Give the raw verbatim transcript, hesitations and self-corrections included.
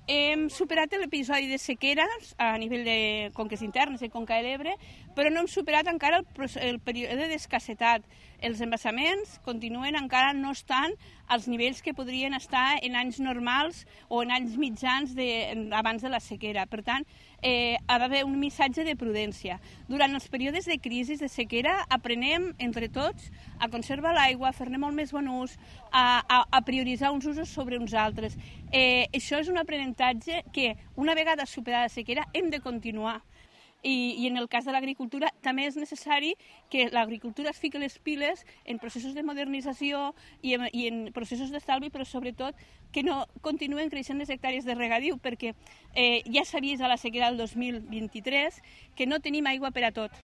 Hem superat l'episodi de sequeres a nivell de conques internes i Conca de l'Ebre, però no hem superat encara el, el període d'escassetat. Els embassaments continuen encara no estan als nivells que podrien estar en anys normals o en anys mitjans de, abans de la sequera. Per tant, eh, ha d'haver un missatge de prudència. Durant els períodes de crisi, de sequera, aprenem entre tots a conservar l'aigua, a fer-ne molt més bon ús, a, a, a prioritzar uns usos sobre uns altres. Eh, això és un aprenentatge que, una vegada superada la sequera, hem de continuar. I, i en el cas de l'agricultura també és necessari que l'agricultura es fiqui les piles en processos de modernització i en, i en processos d'estalvi, però sobretot que no continuen creixent les hectàrees de regadiu, perquè eh, ja s'ha vist a la sequera del dos mil vint-i-tres que no tenim aigua per a tot.